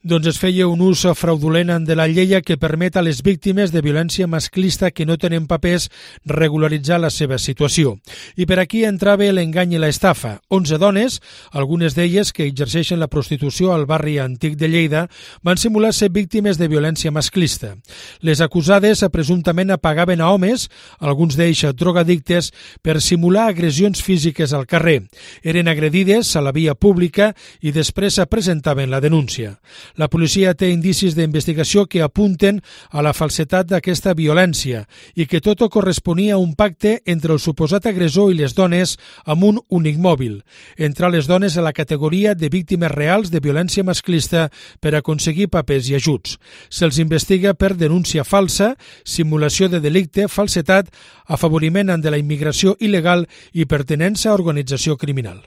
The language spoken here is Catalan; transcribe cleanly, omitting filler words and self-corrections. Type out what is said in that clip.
Doncs es feia un ús fraudulent de la llei que permet a les víctimes de violència masclista que no tenen papers regularitzar la seva situació. I per aquí entrava l'engany i l'estafa. 11 dones, algunes d'elles que exerceixen la prostitució al barri antic de Lleida, van simular ser víctimes de violència masclista. Les acusades presumptament pagaven a homes, alguns d'ells drogadictes, per simular agressions físiques al carrer. Eren agredides a la via pública i després presentaven la denúncia. La policia té indicis d'investigació que apunten a la falsetat d'aquesta violència i que tot corresponia a un pacte entre el suposat agressor i les dones amb un únic mòbil, entrar les dones a la categoria de víctimes reals de violència masclista per aconseguir papers i ajuts. Se'ls investiga per denúncia falsa, simulació de delicte, falsetat, afavoriment de la immigració il·legal i pertinença a organització criminal.